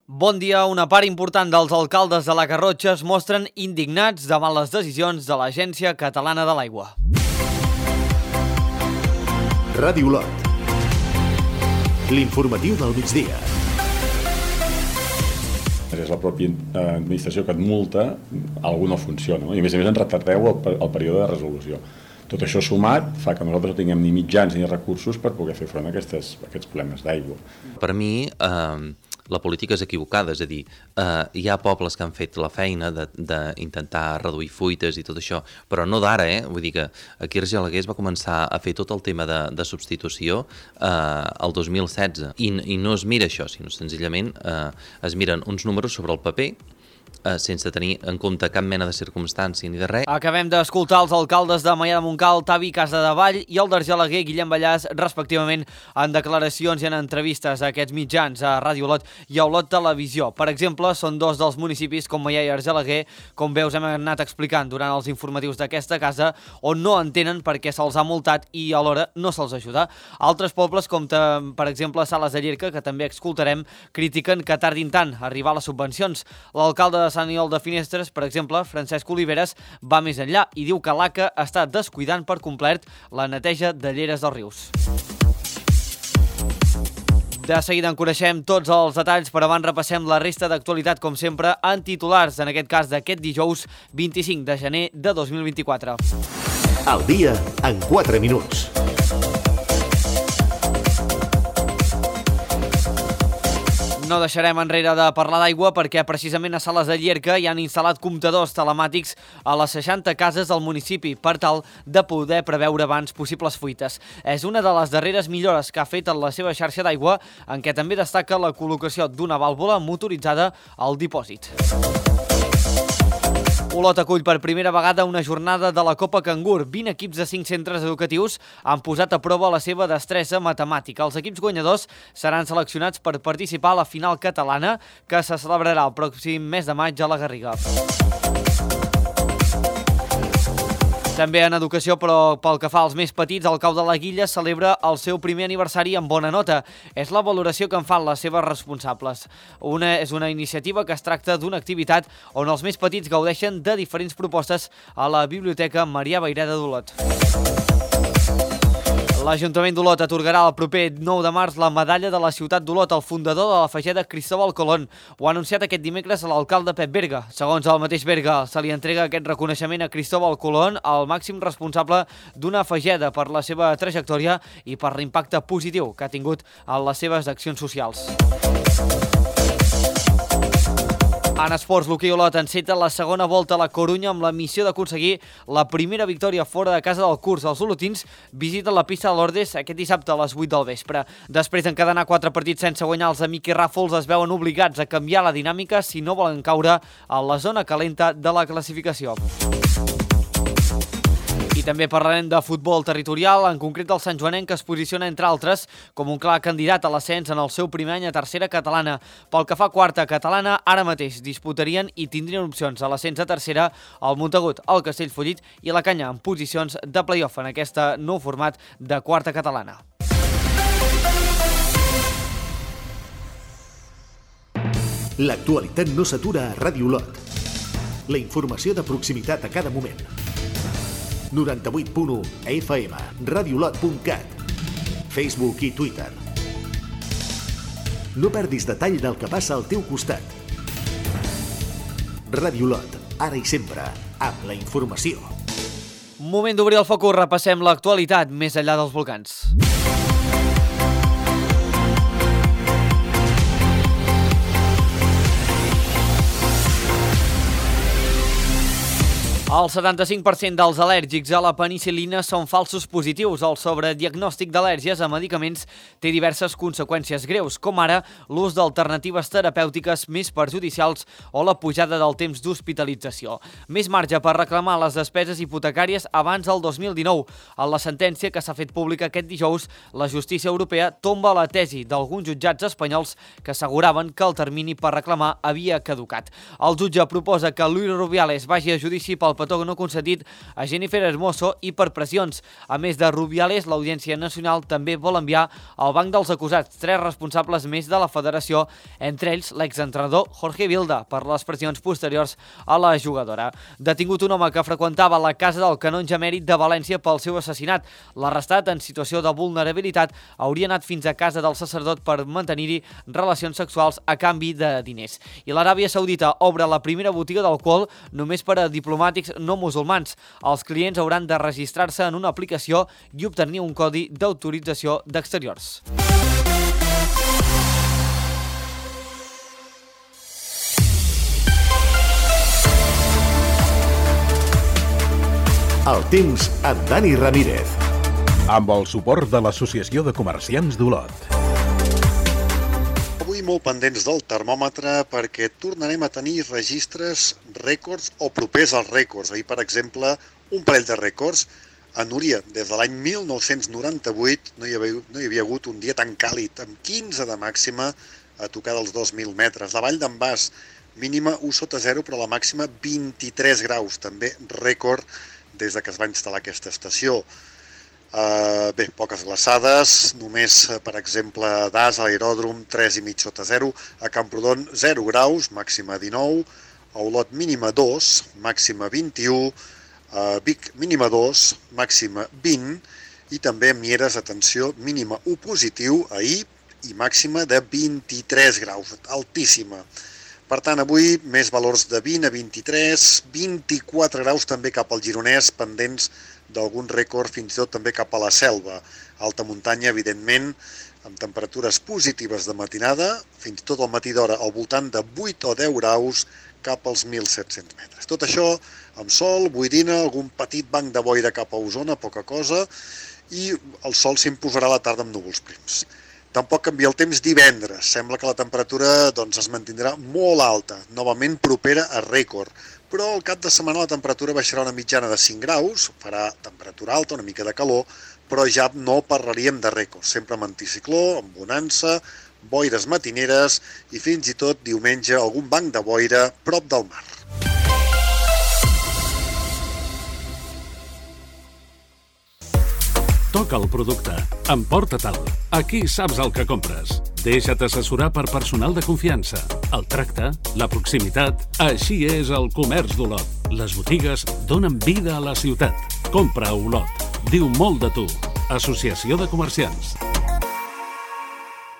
Bon dia. Una part important dels alcaldes de la Garrotxa es mostren indignats davant les decisions de l'Agència Catalana de l'Aigua. Ràdio Olot. L'informatiu del migdia. És la pròpia administració que et multa, alguna no funciona, no? I a més en retardeu el període de resolució. Tot això sumat fa que nosaltres no tinguem ni mitjans ni recursos per poder fer front a aquests problemes d'aigua. Per mi, la política és equivocada, és a dir, hi ha pobles que han fet la feina d'intentar reduir fuites i tot això, però no d'ara, Vull dir que aquí Argelaguer es va començar a fer tot el tema de substitució el 2016 i no es mira això, sinó senzillament es miren uns números sobre el paper sense tenir en compte cap mena de circumstància ni de res. Acabem d'escoltar els alcaldes de Maià de Montcal, Tavi Casadevall i el d'Argelaguer, Guillem Ballàs, respectivament, en declaracions i en entrevistes a aquests mitjans, a Ràdio Olot i a Olot Televisió. Per exemple, són dos dels municipis com Maià i Argelaguer, com veus hem anat explicant durant els informatius d'aquesta casa, on no entenen per què se'ls ha multat i alhora no se'ls ajuda. Altres pobles, com per exemple Sales de Llierca, que també escoltarem, critiquen que tardin tant a arribar a les subvencions. L'alcalde de Sant Aniol de Finestres, per exemple, Francesc Oliveres, va més enllà i diu que l'ACA està descuidant per complet la neteja de lleres dels rius. De seguida en coneixem tots els detalls, però abans repassem la resta d'actualitat, com sempre, en titulars, en aquest cas d'aquest dijous 25 de gener de 2024. Al dia en 4 minuts. No deixarem enrere de parlar d'aigua perquè precisament a Sales de Llierca hi han instal·lat comptadors telemàtics a les 60 cases del municipi per tal de poder preveure abans possibles fuites. És una de les darreres millores que ha fet en la seva xarxa d'aigua, en què també destaca la col·locació d'una vàlvula motoritzada al dipòsit. Olot acull per primera vegada una jornada de la Copa Cangur. 20 equips de 5 centres educatius han posat a prova la seva destresa matemàtica. Els equips guanyadors seran seleccionats per participar a la final catalana, que se celebrarà el pròxim mes de maig a la Garriga. També en educació, però pel que fa als més petits, el Cau de la Guilla celebra el seu primer aniversari amb bona nota. És la valoració que en fan les seves responsables. És una iniciativa que es tracta d'una activitat on els més petits gaudeixen de diferents propostes a la Biblioteca Marià Vayreda d'Olot. L'Ajuntament d'Olot atorgarà el proper 9 de març la medalla de la ciutat d'Olot al fundador de la Fageda, Cristóbal Colón. Ho ha anunciat aquest dimecres l'alcalde Pep Berga. Segons el mateix Berga, se li entrega aquest reconeixement a Cristóbal Colón, el màxim responsable d'una Fageda, per la seva trajectòria i per l'impacte positiu que ha tingut en les seves accions socials. En esports, l'hoquei Olot enceta la segona volta a la Corunya amb la missió d'aconseguir la primera victòria fora de casa del curs. Els olotins visiten la pista de l'Ordes aquest dissabte a les 8 del vespre. Després d'encadenar 4 partits sense guanyar, els de Miqui Ràfols es veuen obligats a canviar la dinàmica si no volen caure a la zona calenta de la classificació. I també parlarem de futbol territorial, en concret del santjoanenc, que es posiciona, entre altres, com un clar candidat a l'ascens en el seu primer any a tercera catalana. Pel que fa a quarta catalana, ara mateix disputarien i tindrien opcions a l'ascens a tercera el Montagut, el Castellfollit i la Canya, en posicions de play-off en aquest nou format de quarta catalana. L'actualitat no s'atura a Ràdio Olot. La informació de proximitat a cada moment. 98.1 FM, radiolot.cat, Facebook i Twitter. No perdis detall del que passa al teu costat. Ràdio Olot, ara i sempre, amb la informació. Moment d'obrir el focus, repassem l'actualitat més enllà dels volcans. El 75% dels al·lèrgics a la penicil·lina són falsos positius. El sobrediagnòstic d'al·lèrgies a medicaments té diverses conseqüències greus, com ara l'ús d'alternatives terapèutiques més perjudicials o la pujada del temps d'hospitalització. Més marge per reclamar les despeses hipotecàries abans del 2019. En la sentència que s'ha fet pública aquest dijous, la justícia europea tomba la tesi d'alguns jutjats espanyols que asseguraven que el termini per reclamar havia caducat. El jutge proposa que Luis Rubiales vagi a judici pel petó no concedit a Jennifer Hermoso i per pressions. A més de Rubiales, l'Audiència Nacional també vol enviar al banc dels acusats 3 responsables més de la federació, entre ells l'exentrenador Jorge Vilda, per les pressions posteriors a la jugadora. Detingut un home que freqüentava la casa del canonge emèrit de València pel seu assassinat. L'arrestat, en situació de vulnerabilitat, hauria anat fins a casa del sacerdot per mantenir-hi relacions sexuals a canvi de diners. I l'Aràbia Saudita obre la primera botiga d'alcohol només per a diplomàtics no musulmans. Els clients hauran de registrar-se en una aplicació i obtenir un codi d'autorització d'exteriors. El temps amb Dani Ramírez. Amb el suport de l'Associació de Comerciants d'Olot. Avui molt pendents del termòmetre perquè tornarem a tenir registres rècords o propers als rècords. Ahir, per exemple, un parell de rècords. A Núria, des de l'any 1998, no hi havia hagut un dia tan càlid, amb 15 de màxima a tocar dels 2.000 metres. La Vall d'en Bas, mínima 1 sota 0, però la màxima 23 graus, també rècord des que es va instal·lar aquesta estació. Bé, poques glaçades, només, per exemple, a Das, a l'aeròdrom, 3,5 sota 0, a Camprodon 0 graus, màxima 19, a Olot mínima 2, màxima 21, a Vic mínima 2, màxima 20, i també a Mieres, atenció, mínima 1 positiu ahir i màxima de 23 graus, altíssima. Per tant, avui més valors de 20 a 23, 24 graus també cap al Gironès, pendents d'algun rècord fins i tot també cap a la Selva. Alta muntanya, evidentment, amb temperatures positives de matinada, fins i tot al matí d'hora al voltant de 8 o 10 graus cap als 1.700 metres. Tot això amb sol, boirina, algun petit banc de boira cap a Osona, poca cosa, i el sol s'imposarà a la tarda amb núvols prims. Tampoc canvia el temps divendres. Sembla que la temperatura es mantindrà molt alta, novament propera a rècord. Però al cap de setmana la temperatura baixarà una mitjana de 5 graus, farà temperatura alta, una mica de calor, però ja no parlaríem de rècord. Sempre amb anticicló, amb bonança, boires matineres i fins i tot diumenge algun banc de boira prop del mar. Toca el producte. Emporta-te'l. Aquí saps el que compres. Deixa't assessorar per personal de confiança. El tracte, la proximitat... Així és el comerç d'Olot. Les botigues donen vida a la ciutat. Compra a Olot. Diu molt de tu. Associació de Comerciants.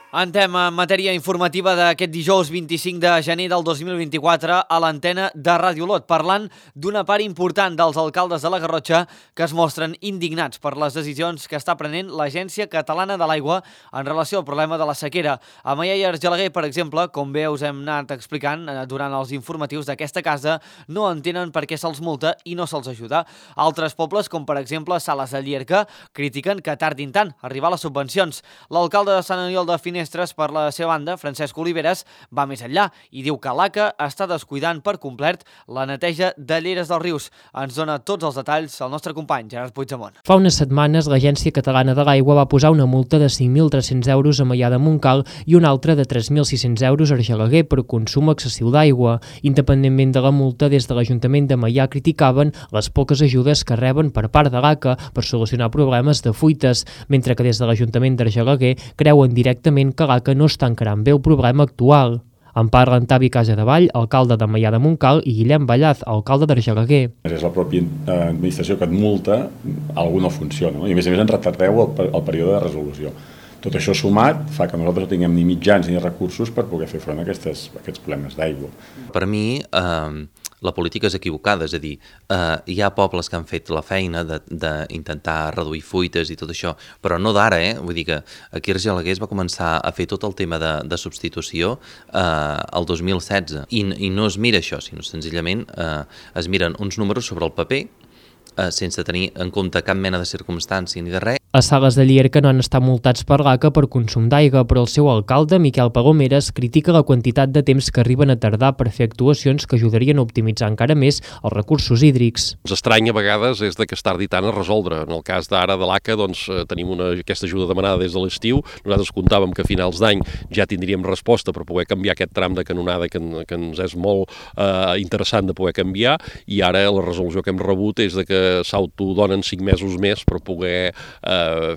Entrem en matèria informativa d'aquest dijous 25 de gener del 2024 a l'antena de Ràdio Olot, parlant d'una part important dels alcaldes de la Garrotxa que es mostren indignats per les decisions que està prenent l'Agència Catalana de l'Aigua en relació al problema de la sequera. A Maià i Argelaguer, per exemple, com bé us hem anat explicant durant els informatius d'aquesta casa, no entenen per què se'ls multa i no se'ls ajuda. Altres pobles, com per exemple Sales de Llierca, critiquen que tardin tant a arribar les subvencions. L'alcalde de Sant Aniol de Finestres, per la seva banda, Francesc Oliveres, va més enllà i diu que l'ACA està descuidant per complet la neteja de lleres dels rius. Ens dona tots els detalls el nostre company, Gerard Puigdemont. Fa unes setmanes, l'Agència Catalana de l'Aigua va posar una multa de 5.300 euros a Maià de Montcal i una altra de 3.600 euros a Argelaguer per consum excessiu d'aigua. Independentment de la multa, des de l'Ajuntament de Maià criticaven les poques ajudes que reben per part de l'ACA per solucionar problemes de fuites, mentre que des de l'Ajuntament d'Argelaguer creuen directament que l'ACA no està encarant bé el problema actual. En parlen Tavi Casadevall, alcalde de Maià de Montcal, i Guillem Ballaz, alcalde d'Argelaguer. És la pròpia administració que et multa, alguna no funciona, i a més en retardeu el període de resolució. Tot això sumat fa que nosaltres no tinguem ni mitjans ni recursos per poder fer front a aquests problemes d'aigua. Per mi, la política és equivocada, és a dir, hi ha pobles que han fet la feina d'intentar reduir fuites i tot això, però no d'ara, Vull dir que aquí a Argelaguer es va començar a fer tot el tema de substitució el 2016, i no es mira això, sinó senzillament es miren uns números sobre el paper, sense tenir en compte cap mena de circumstància ni de res. A Sales de Llierca no han estat multats per l'ACA per consum d'aigua, però el seu alcalde, Miquel Palomeres, critica la quantitat de temps que arriben a tardar per fer actuacions que ajudarien a optimitzar encara més els recursos hídrics. Ens estranya a vegades és que es tardi tant a resoldre. En el cas d'ara de l'ACA tenim aquesta ajuda demanada des de l'estiu. Nosaltres comptàvem que a finals d'any ja tindríem resposta per poder canviar aquest tram de canonada que ens és molt interessant de poder canviar, i ara la resolució que hem rebut és que s'autodonen 5 mesos més per poder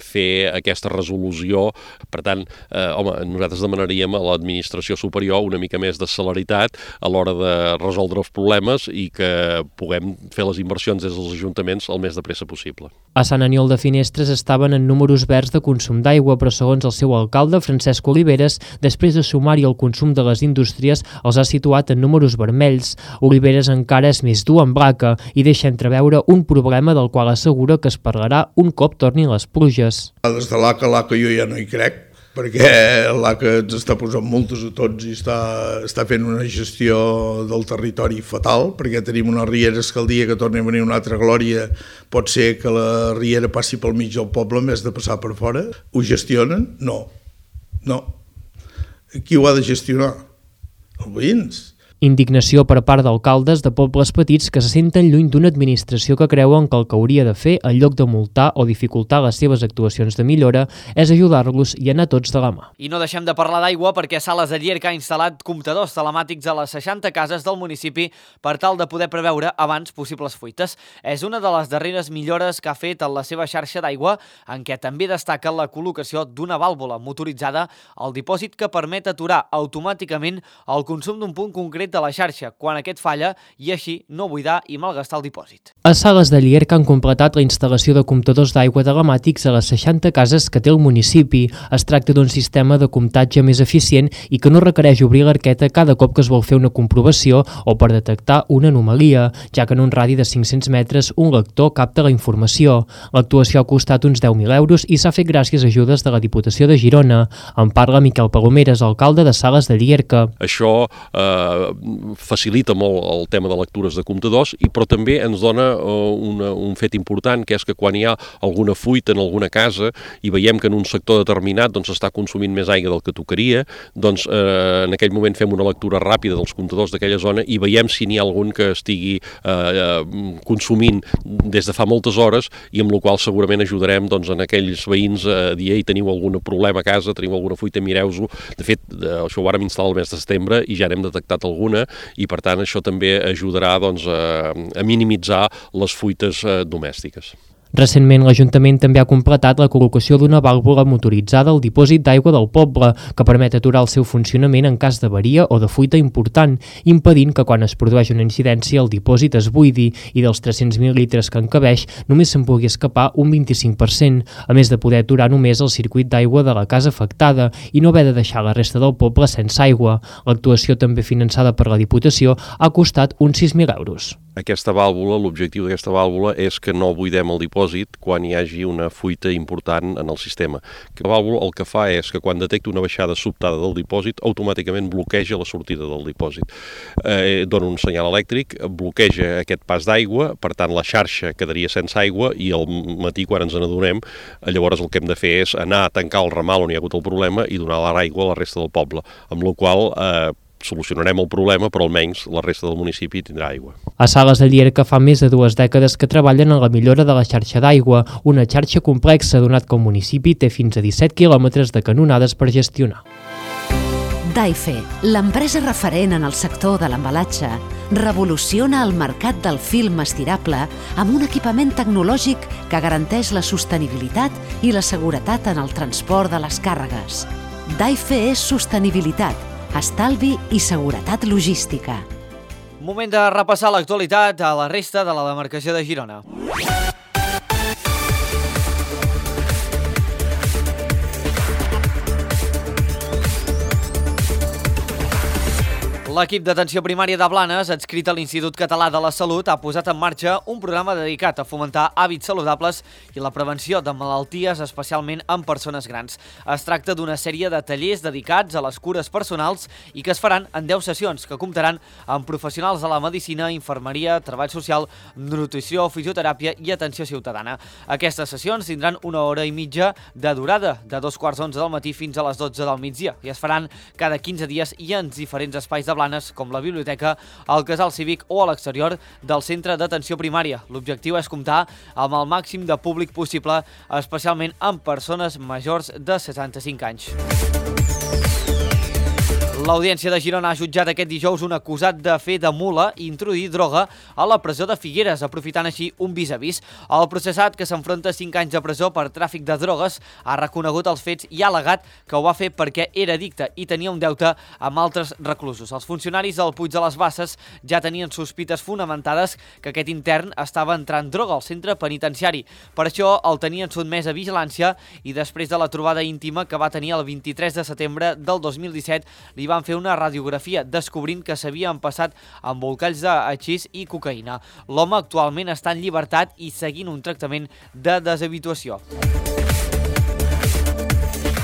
fer aquesta resolució. Per tant, nosaltres demanaríem a l'administració superior una mica més de celeritat a l'hora de resoldre els problemes i que puguem fer les inversions des dels ajuntaments el més de pressa possible. A Sant Aniol de Finestres estaven en números verds de consum d'aigua, però segons el seu alcalde, Francesc Oliveres, després de sumar-hi el consum de les indústries, els ha situat en números vermells. Oliveres encara és més dur amb l'ACA i deixa entreveure un problema del qual assegura que es parlarà un cop tornin les pluges. Des de l'ACA jo ja no hi crec, perquè l'ACA ens està posant multes a tots i està fent una gestió del territori fatal, perquè tenim unes rieres que el dia que torni a venir una altra glòria pot ser que la riera passi pel mig del poble en vez de passar per fora. Ho gestionen? No. Qui ho ha de gestionar? Els veïns. Indignació per part d'alcaldes de pobles petits que se senten lluny d'una administració que creuen que el que hauria de fer, en lloc de multar o dificultar les seves actuacions de millora, és ajudar-los i anar tots de la mà. I no deixem de parlar d'aigua perquè Sales de Llierca ha instal·lat comptadors telemàtics a les 60 cases del municipi per tal de poder preveure abans possibles fuites. És una de les darreres millores que ha fet en la seva xarxa d'aigua, en què també destaca la col·locació d'una vàlvula motoritzada al dipòsit que permet aturar automàticament el consum d'un punt concret de la xarxa quan aquest falla i així no buidar i malgastar el dipòsit. A Sales de Llierca han completat la instal·lació de comptadors d'aigua telemàtics a les 60 cases que té el municipi. Es tracta d'un sistema de comptatge més eficient i que no requereix obrir l'arqueta cada cop que es vol fer una comprovació o per detectar una anomalia, ja que en un radi de 500 metres un lector capta la informació. L'actuació ha costat uns 10.000 euros i s'ha fet gràcies a ajudes de la Diputació de Girona. En parla Miquel Palomeres, alcalde de Sales de Llierca. Això facilita molt el tema de lectures de comptadors, però també ens dona un fet important, que és que quan hi ha alguna fuita en alguna casa i veiem que en un sector determinat s'està consumint més aigua del que tocaria, en aquell moment fem una lectura ràpida dels comptadors d'aquella zona i veiem si n'hi ha algun que estigui consumint des de fa moltes hores, i amb la qual segurament ajudarem en aquells veïns a dir: ei, teniu algun problema a casa, teniu alguna fuita, mireu-ho. De fet, això ho vàrem instal·lar el mes de setembre i ja n'hem detectat alguna, i per tant això també ajudarà a minimitzar les fuites domèstiques. Recentment, l'Ajuntament també ha completat la col·locació d'una vàlvula motoritzada al dipòsit d'aigua del poble, que permet aturar el seu funcionament en cas d'avaria o de fuita important, impedint que quan es produeix una incidència el dipòsit es buidi i dels 300.000 litres que encabeix només se'n pugui escapar un 25%, a més de poder aturar només el circuit d'aigua de la casa afectada i no haver de deixar la resta del poble sense aigua. L'actuació, també finançada per la Diputació, ha costat uns 6.000 euros. Aquesta vàlvula, l'objectiu d'aquesta vàlvula és que no buidem el dipòsit quan hi hagi una fuita important en el sistema. La vàlvula el que fa és que quan detecta una baixada sobtada del dipòsit, automàticament bloqueja la sortida del dipòsit. Dona un senyal elèctric, bloqueja aquest pas d'aigua, per tant la xarxa quedaria sense aigua i al matí, quan ens n'adonem, llavors el que hem de fer és anar a tancar el ramal on hi ha hagut el problema i donar l'aigua a la resta del poble, amb la qual solucionarem el problema, però almenys la resta del municipi tindrà aigua. A Sales de Llierca fa més de 2 dècades que treballen en la millora de la xarxa d'aigua, una xarxa complexa, donat que el municipi té fins a 17 quilòmetres de canonades per gestionar. Daife, l'empresa referent en el sector de l'embalatge, revoluciona el mercat del film estirable amb un equipament tecnològic que garanteix la sostenibilitat i la seguretat en el transport de les càrregues. Daife és sostenibilitat, estalvi i seguretat logística. Moment de repassar l'actualitat a la resta de la demarcació de Girona. L'equip d'atenció primària de Blanes, adscrit a l'Institut Català de la Salut, ha posat en marxa un programa dedicat a fomentar hàbits saludables i la prevenció de malalties, especialment en persones grans. Es tracta d'una sèrie de tallers dedicats a les cures personals i que es faran en 10 sessions, que comptaran amb professionals de la medicina, infermeria, treball social, nutrició, fisioteràpia i atenció ciutadana. Aquestes sessions tindran 1 hora i mitja de durada, de 2:45 del matí fins a les 12 del migdia, i es faran cada 15 dies i en diferents espais de Blanes, com la biblioteca, el casal cívic o a l'exterior del centre d'atenció primària. L'objectiu és comptar amb el màxim de públic possible, especialment amb persones majors de 65 anys. L'Audiència de Girona ha jutjat aquest dijous un acusat de fer de mula i introduir droga a la presó de Figueres, aprofitant així un vis a vis. El processat, que s'enfronta a 5 anys de presó per tràfic de drogues, ha reconegut els fets i ha al·legat que ho va fer perquè era addicte i tenia un deute amb altres reclusos. Els funcionaris del Puig de les Basses ja tenien sospites fonamentades que aquest intern estava entrant droga al centre penitenciari. Per això el tenien sotmès a vigilància i després de la trobada íntima que va tenir el 23 de setembre del 2017 li van fer una radiografia descobrint que s'havien passat embolcalls de hachís i cocaïna. L'home actualment està en llibertat i seguint un tractament de deshabituació.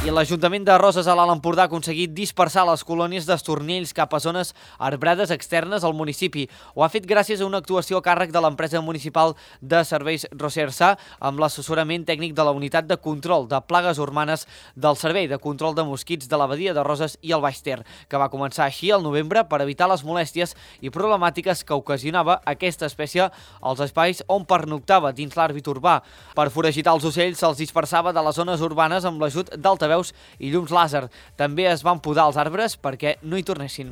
I l'Ajuntament de Roses a l'Alt Empordà ha aconseguit dispersar les colònies d'estornells cap a zones arbrades externes al municipi. Ho ha fet gràcies a una actuació a càrrec de l'empresa municipal de serveis Rosersa amb l'assessorament tècnic de la unitat de control de plagues urbanes del Servei de Control de Mosquits de la Badia de Roses i el Baix Ter, que va començar així al novembre per evitar les molèsties i problemàtiques que ocasionava aquesta espècie als espais on pernoctava dins l'àmbit urbà. Per foragitar els ocells se'ls dispersava de les zones urbanes amb l'ajut d'altaveus i llums làser. També es van podar els arbres perquè no hi tornessin.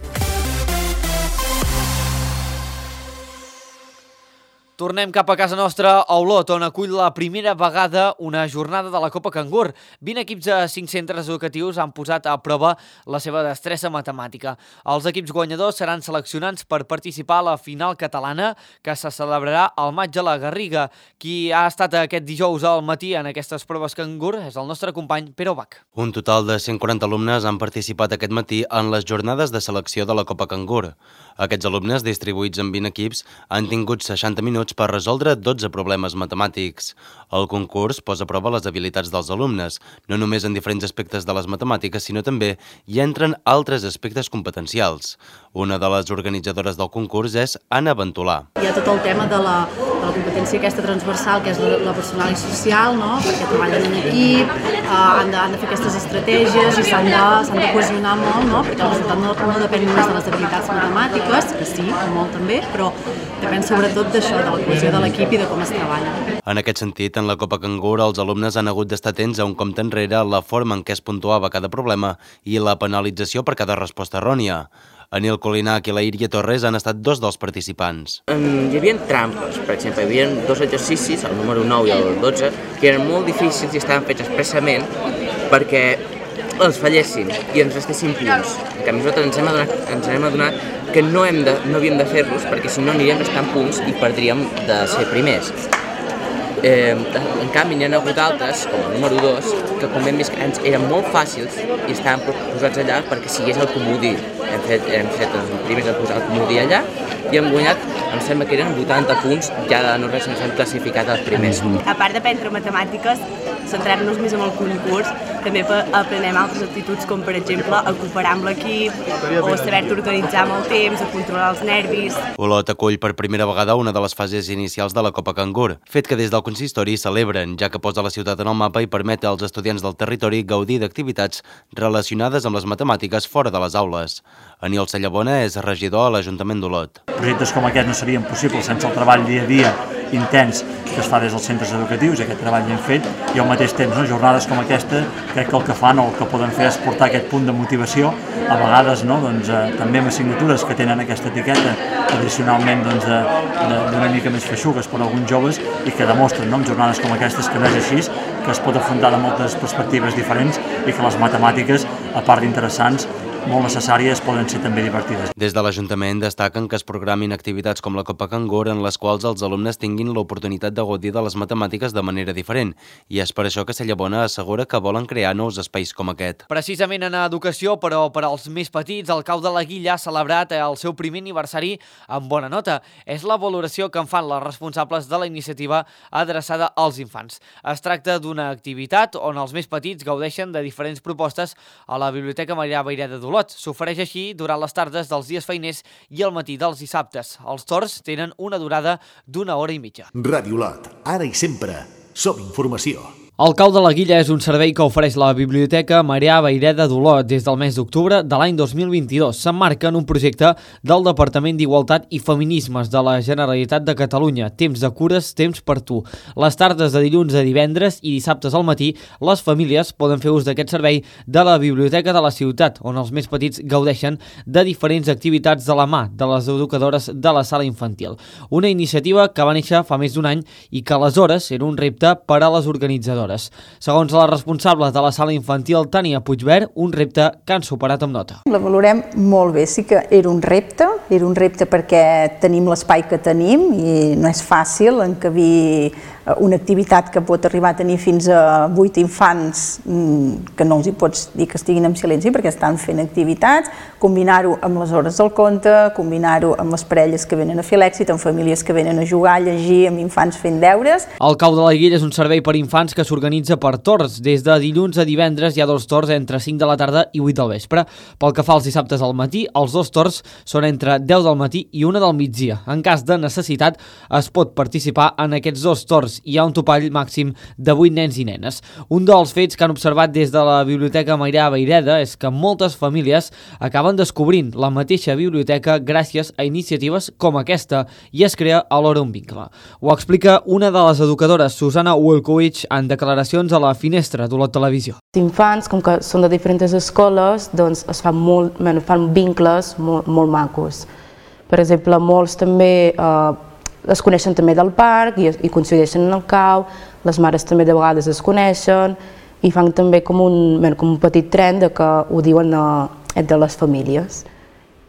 Tornem cap a casa nostra, a Olot, on acull la primera vegada una jornada de la Copa Cangur. 20 equips de 5 centres educatius han posat a prova la seva destressa matemàtica. Els equips guanyadors seran seleccionats per participar a la final catalana, que se celebrarà al maig a la Garriga. Qui ha estat aquest dijous al matí en aquestes proves Cangur és el nostre company Pere Bach. Un total de 140 alumnes han participat aquest matí en les jornades de selecció de la Copa Cangur. Aquests alumnes, distribuïts en 20 equips, han tingut 60 minuts per resoldre 12 problemes matemàtics. El concurs posa a prova les habilitats dels alumnes, no només en diferents aspectes de les matemàtiques, sinó també hi entren altres aspectes competencials. Una de les organitzadores del concurs és Anna Ventolà. Hi ha tot el tema de la competència aquesta transversal, que és la personal i social, no? Perquè treballen en equip, han de fer aquestes estratègies i s'han de cohesionar molt, no? Perquè el resultat no depèn només de les habilitats matemàtiques, que sí, molt també, però depèn sobretot d'això, de la cohesió de l'equip i de com es treballa. En aquest sentit, en la Copa Cangur, els alumnes han hagut d'estar atents a un compte enrere, la forma en què es puntuava cada problema i la penalització per cada resposta errònia. Anil Colinac i la Iria Torres han estat dos dels participants. Hi havia trampes, per exemple, hi havia 2 exercicis, el número 9 i el 12, que eren molt difícils i estaven fets expressament perquè els fallessin i ens restessin punts. En canvi, nosaltres ens hem adonat que no havíem de fer-los perquè si no aniríem restant punts i perdríem de ser primers. En canvi, n'hi ha hagut altres, com el número 2, que com hem vist eren molt fàcils i estaven posats allà perquè sigués el comodí. Hem fet els primers a posar el comodí allà i hem guanyat, em sembla que eren 80 punts, ja de no res ens hem classificat els primers. A part d'aprendre matemàtiques, centrar-nos més en el concurs, també aprenem altres actituds com, per exemple, a cooperar amb l'equip o saber-te organitzar amb el temps, a controlar els nervis. Olot acull per primera vegada una de les fases inicials de la Copa Cangur, fet que des del consistori celebren, ja que posa la ciutat en el mapa i permet als estudiants del territori gaudir d'activitats relacionades amb les matemàtiques fora de les aules. Aniol Sallabona és regidor a l'Ajuntament d'Olot. Projectes com aquest no serien possibles sense el treball dia a dia intens que es fa des dels centres educatius, aquest treball l'hem fet, i al mateix temps, jornades com aquesta, crec que el que fan o el que poden fer és portar aquest punt de motivació, a vegades també amb assignatures que tenen aquesta etiqueta, tradicionalment d'una mica més feixugues per a alguns joves, i que demostren amb jornades com aquestes que no és així, que es pot afrontar de moltes perspectives diferents i que les matemàtiques, a part d'interessants, molt necessàries, poden ser també divertides. Des de l'Ajuntament destaquen que es programin activitats com la Copa Cangur en les quals els alumnes tinguin l'oportunitat de gaudir de les matemàtiques de manera diferent, i és per això que Cellabona assegura que volen crear nous espais com aquest. Precisament en educació, però per als més petits, el Cau de la Guilla ha celebrat el seu primer aniversari amb bona nota. És la valoració que en fan les responsables de la iniciativa adreçada als infants. Es tracta d'una activitat on els més petits gaudeixen de diferents propostes a la Biblioteca Marià Vayreda d'Olot. S'ofereix així durant les tardes dels dies feiners i el matí dels dissabtes. Els torns tenen una durada d'1 hora i mitja. Ràdio Olot, ara i sempre, som informació. El Cau de la Guilla és un servei que ofereix la Biblioteca Marià Vayreda d'Olot des del mes d'octubre de l'any 2022. S'emmarca en un projecte del Departament d'Igualtat i Feminismes de la Generalitat de Catalunya. Temps de cures, temps per tu. Les tardes de dilluns a divendres i dissabtes al matí, les famílies poden fer ús d'aquest servei de la Biblioteca de la ciutat, on els més petits gaudeixen de diferents activitats de la mà de les educadores de la sala infantil. Una iniciativa que va néixer fa més d'un any i que aleshores era un repte per a les organitzadores. Segons la responsable de la sala infantil, Tània Puigvert, un repte que han superat amb nota. La valorem molt bé, sí que era un repte perquè tenim l'espai que tenim i no és fàcil encabir una activitat que pot arribar a tenir fins a 8 infants, que no els hi pots dir que estiguin en silenci perquè estan fent activitats, combinar-ho amb les hores del conte, combinar-ho amb les parelles que venen a fer l'èxit, amb famílies que venen a jugar, a llegir, amb infants fent deures. El Cau de la Guilla és un servei per infants que s'organitza per torns. Des de dilluns a divendres hi ha 2 torns entre 5 de la tarda i 8 del vespre. Pel que fa als dissabtes al matí, els 2 torns són entre 10 del matí i 1 del migdia. En cas de necessitat, es pot participar en aquests 2 torns. Hi ha un topall màxim de 8 nens i nenes. Un dels fets que han observat des de la Biblioteca Marià Vayreda és que moltes famílies acaben descobrint la mateixa biblioteca gràcies a iniciatives com aquesta i es crea alhora un vincle. Ho explica una de les educadores, Susana Wilkowicz, en declaracions a la Finestra d'Olot Televisió. Els infants, com que són de diferents escoles, doncs es fan vincles molt macos. Per exemple, molts també es coneixen també del parc i coincideixen en el Cau, les mares també de vegades es coneixen i fan també com un petit tren de que ho diuen entre les famílies.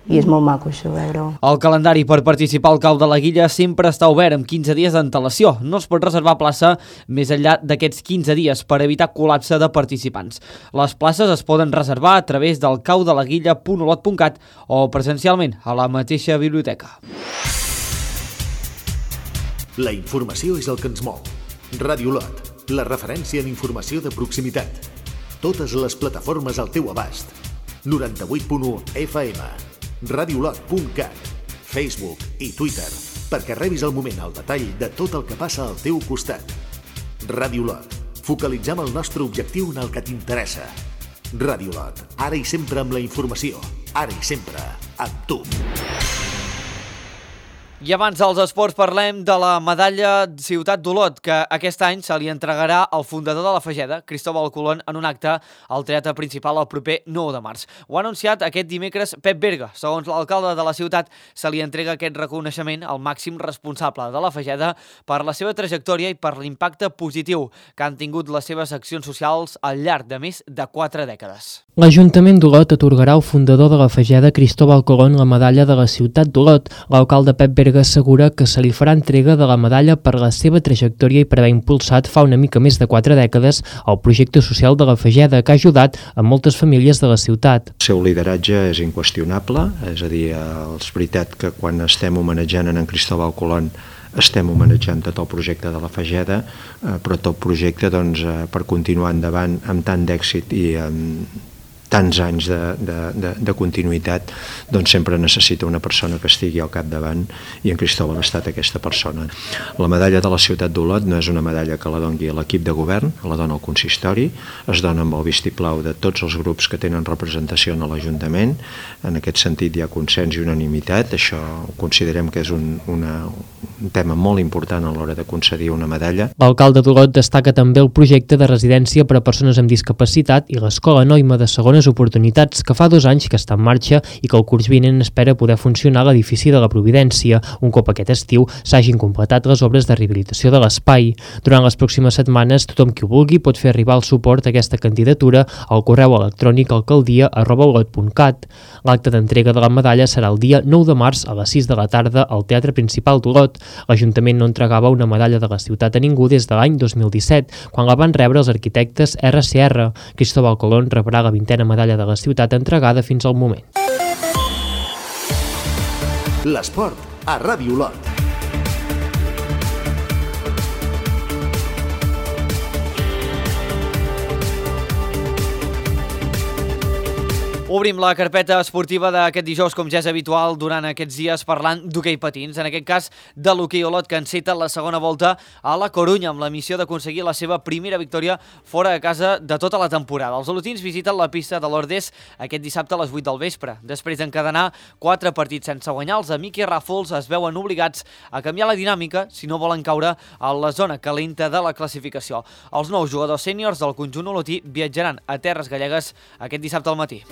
I és molt maco això, veure-ho. El calendari per participar al Cau de la Guilla sempre està obert amb 15 dies d'antelació. No es pot reservar plaça més enllà d'aquests 15 dies per evitar col·lapse de participants. Les places es poden reservar a través del caudelaguilla.olot.cat o presencialment a la mateixa biblioteca. La informació és el que ens mou. Ràdio Olot, la referència en informació de proximitat. Totes les plataformes al teu abast. 98.1 FM, radiolot.cat, Facebook i Twitter, perquè rebis al moment el detall de tot el que passa al teu costat. Ràdio Olot, focalitzem el nostre objectiu en el que t'interessa. Ràdio Olot, ara i sempre amb la informació, ara i sempre amb tu. I abans dels esports parlem de la medalla Ciutat d'Olot, que aquest any se li entregarà al fundador de la Fageda, Cristóbal Colón, en un acte al teatre principal el proper 9 de març. Ho ha anunciat aquest dimecres Pep Berga. Segons l'alcalde de la ciutat, se li entrega aquest reconeixement al màxim responsable de la Fageda per la seva trajectòria i per l'impacte positiu que han tingut les seves accions socials al llarg de més de 4 dècades. L'Ajuntament d'Olot atorgarà al fundador de la Fageda, Cristóbal Colón, la medalla de la Ciutat d'Olot. L'alcalde Pep Berga assegura que se li farà entrega de la medalla per la seva trajectòria i per haver impulsat fa una mica més de 4 dècades el projecte social de la Fageda, que ha ajudat a moltes famílies de la ciutat. El seu lideratge és inqüestionable, és a dir, és veritat que quan estem homenatjant en Cristóbal Colón estem homenatjant tot el projecte de la Fageda, però tot projecte per continuar endavant amb tant d'èxit i amb tants anys de continuïtat, doncs sempre necessita una persona que estigui al capdavant i en Cristóbal ha estat aquesta persona. La medalla de la Ciutat d'Olot no és una medalla que la doni l'equip de govern, la dona el consistori, es dona amb el vistiplau de tots els grups que tenen representació en l'Ajuntament. En aquest sentit hi ha consens i unanimitat, això considerem que és un tema molt important a l'hora de concedir una medalla. L'alcalde d'Olot destaca també el projecte de residència per a persones amb discapacitat i l'escola Noima de segona bones oportunitats, que fa 2 anys que està en marxa i que el curs vinent espera poder funcionar a l'edifici de la Providència, un cop aquest estiu s'hagin completat les obres de rehabilitació de l'espai. Durant les pròximes setmanes, tothom qui ho vulgui pot fer arribar el suport a aquesta candidatura al correu electrònic alcaldia@olot.cat. L'acte d'entrega de la medalla serà el dia 9 de març a les 6 de la tarda al Teatre Principal d'Olot. L'Ajuntament no entregava una medalla de la ciutat a ningú des de l'any 2017, quan la van rebre els arquitectes RCR. Cristóbal Colón rebrà la 20a medalla de la ciutat entregada fins al moment. L'esport a Ràdio Olot. Obrim la carpeta esportiva d'aquest dijous, com ja és habitual durant aquests dies, parlant d'hoquei patins. En aquest cas, de l'hoquei Olot, que enceta la segona volta a la Corunya, amb la missió d'aconseguir la seva primera victòria fora de casa de tota la temporada. Els olotins visiten la pista de l'Ordes aquest dissabte a les 8 del vespre. Després d'encadenar 4 partits sense guanyar, els amics i Ràfols es veuen obligats a canviar la dinàmica si no volen caure a la zona calenta de la classificació. Els nous jugadors sèniors del conjunt olotí viatjaran a Terres Gallegues aquest dissabte al matí.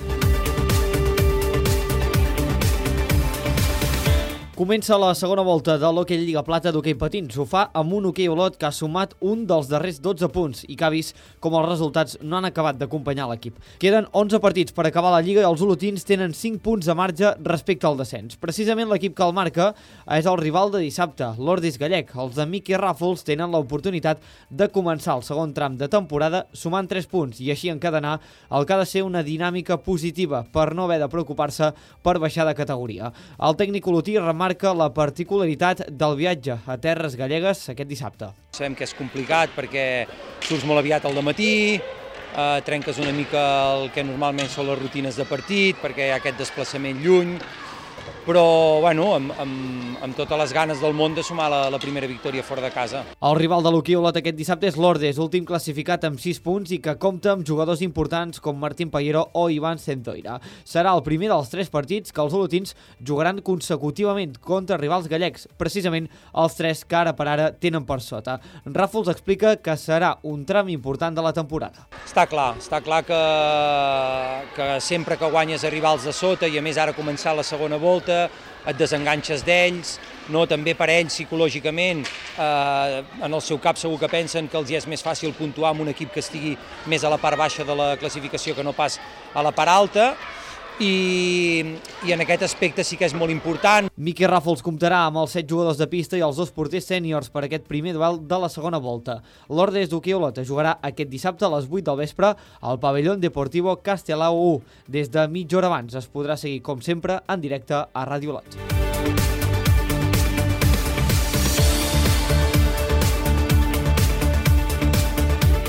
Comença la segona volta de l'Hoquei Lliga Plata d'hoquei patins. Ho fa amb un hoquei Olot que ha sumat un dels darrers 12 punts i que ha vist com els resultats no han acabat d'acompanyar l'equip. Queden 11 partits per acabar la Lliga i els olotins tenen 5 punts de marge respecte al descens. Precisament l'equip que el marca és el rival de dissabte, l'Ordes Gallec. Els de Miqui Ràfols tenen l'oportunitat de començar el segon tram de temporada sumant 3 punts i així encadenar el que ha de ser una dinàmica positiva per no haver de preocupar-se per baixar de categoria. El tècnic olotí remarca la particularitat del viatge a Terres Gallegues aquest dissabte. Sabem que és complicat perquè surts molt aviat al dematí, trenques una mica el que normalment són les rutines de partit perquè hi ha aquest desplaçament lluny, però bueno, amb totes les ganes del món de sumar la primera victòria fora de casa. El rival de l'hoquei Olot aquest dissabte és l'Ordes, últim classificat amb 6 punts i que compta amb jugadors importants com Martín Pallero o Ivan Centoira. Serà el primer dels 3 partits que els olotins jugaran consecutivament contra rivals gallecs, precisament els 3 que ara per ara tenen per sota. Ràfols explica que serà un tram important de la temporada. Està clar que sempre que guanyes a rivals de sota i a més ara començar la segona volta et desenganxes d'ells, no? També per ells psicològicament, en el seu cap segur que pensen que els és més fàcil puntuar amb un equip que estigui més a la part baixa de la classificació que no pas a la part alta, i en aquest aspecte sí que és molt important. Miqui Ràfols comptarà amb els 7 jugadors de pista i els 2 porters sèniors per aquest primer duel de la segona volta. L'Ordes d'hoquei Olot jugarà aquest dissabte a les 8 del vespre al pavelló Deportivo Castelao 1. Des de mitja hora abans es podrà seguir, com sempre, en directe a Ràdio Olot.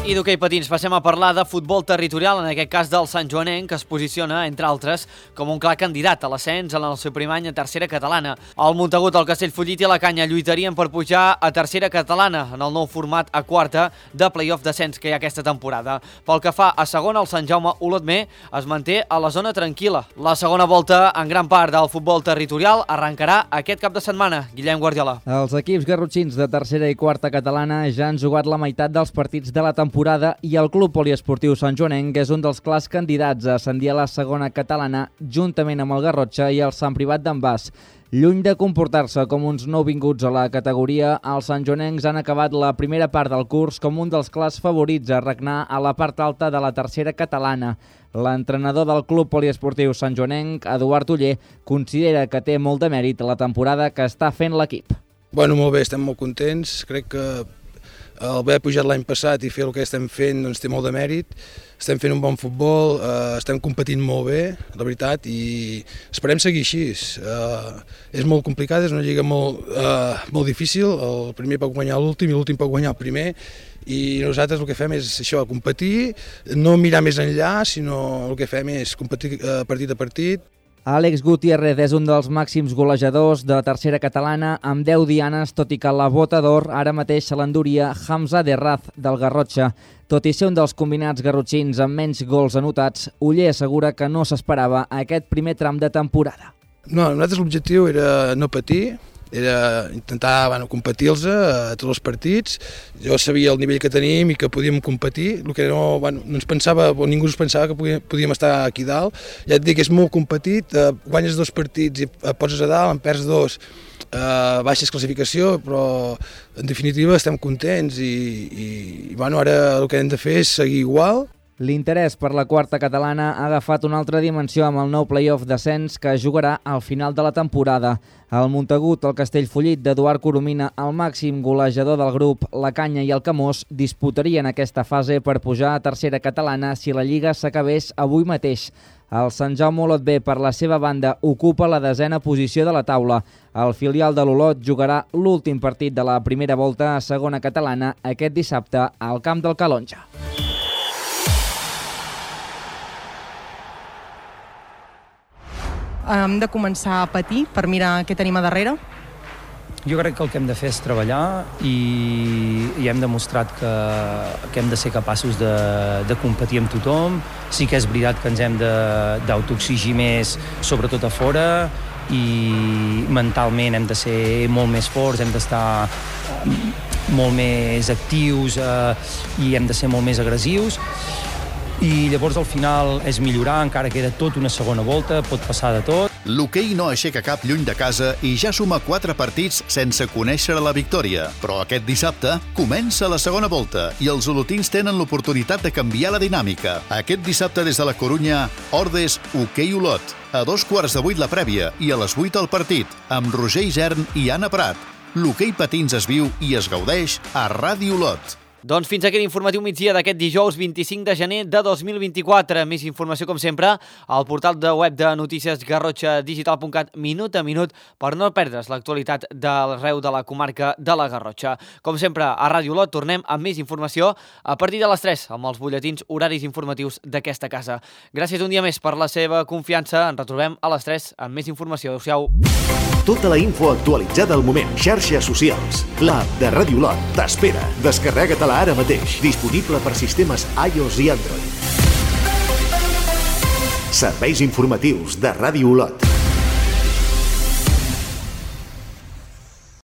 I d'hoquei patins passem a parlar de futbol territorial, en aquest cas del Sant Joanenc, que es posiciona, entre altres, com un clar candidat a l'ascens en el seu primer any a tercera catalana. El Montagut, el Castellfollit i la Canya lluitarien per pujar a tercera catalana en el nou format a quarta de play-off d'ascens que hi ha aquesta temporada. Pel que fa a segona, el Sant Jaume Olotmer es manté a la zona tranquil·la. La segona volta, en gran part del futbol territorial, arrencarà aquest cap de setmana. Guillem Guardiola. Els equips garrotxins de tercera i quarta catalana ja han jugat la meitat dels partits de la temporada i el Club Poliesportiu Sant Joanenc és un dels clars candidats a ascendir a la segona catalana juntament amb el Garrotxa i el Sant Privat d'en Bas. Lluny de comportar-se com uns nouvinguts a la categoria, els santjoanencs han acabat la primera part del curs com un dels clars favorits a regnar a la part alta de la tercera catalana. L'entrenador del Club Poliesportiu Sant Joanenc, Eduard Uller, considera que té molt de mèrit la temporada que està fent l'equip. Bueno, molt bé, estem molt contents. Crec que el haver pujat l'any passat i fer el que estem fent doncs, té molt de mèrit. Estem fent un bon futbol, estem competint molt bé, la veritat, i esperem seguir així. És molt complicat, és una lliga molt difícil. El primer pot guanyar l'últim i l'últim pot guanyar el primer. I nosaltres el que fem és això, competir, no mirar més enllà, sinó el que fem és competir partit a partit. Àlex Gutiérrez és un dels màxims golejadors de la tercera catalana amb 10 dianes, tot i que la bota d'or ara mateix se l'enduria Hamza Derraz del Garrotxa. Tot i ser un dels combinats garrotxins amb menys gols anotats, Uller assegura que no s'esperava aquest primer tram de temporada. No, nosaltres l'objectiu era no patir, era intentar competir-los a tots els partits. Jo sabia el nivell que tenim i que podíem competir, el que no ens pensava, o ningú ens pensava que podíem estar aquí dalt. Ja et dic, és molt competit, guanyes 2 partits i et poses a dalt, en perds 2, baixes classificació, però en definitiva estem contents i ara el que hem de fer és seguir igual. L'interès per la quarta catalana ha agafat una altra dimensió amb el nou play-off d'ascens que jugarà al final de la temporada. El Montagut, el Castellfollit d'Eduard Coromina, el màxim golejador del grup, la Canya i el Camós disputarien aquesta fase per pujar a tercera catalana si la Lliga s'acabés avui mateix. El Sant Jaume Olot B, per la seva banda, ocupa la 10a posició de la taula. El filial de l'Olot jugarà l'últim partit de la primera volta a segona catalana aquest dissabte al camp del Calonja. Hem de començar a patir per mirar què tenim a darrere? Jo crec que el que hem de fer és treballar i hem demostrat que hem de ser capaços de competir amb tothom. Sí que és veritat que ens hem d'autoexigir més, sobretot a fora, i mentalment hem de ser molt més forts, hem d'estar molt més actius i hem de ser molt més agressius. I llavors al final és millorar, encara queda tot una segona volta, pot passar de tot. L'hoquei no aixeca cap lluny de casa i ja suma 4 partits sense conèixer la victòria. Però aquest dissabte comença la segona volta i els olotins tenen l'oportunitat de canviar la dinàmica. Aquest dissabte des de la Corunya, Ordes Hoquei Olot. A 2:15 la prèvia i a les 8 el partit, amb Roger Isern i Anna Prat. L'hoquei patins es viu i es gaudeix a Ràdio Olot. Doncs fins aquí l'informatiu migdia d'aquest dijous 25 de gener de 2024. Més informació, com sempre, al portal de web de notícies garrotxadigital.cat minut a minut per no perdre's l'actualitat d'arreu de la comarca de la Garrotxa. Com sempre, a Ràdio Olot tornem amb més informació a partir de les 3 amb els butlletins horaris informatius d'aquesta casa. Gràcies un dia més per la seva confiança. Ens retrobem a les 3 amb més informació. Adéu-siau. Tota la info actualitzada al moment. Xarxes socials. L'app de Ràdio Olot t'espera. Descarrega-te-la ara mateix. Disponible per sistemes iOS i Android. Serveis informatius de Ràdio Olot.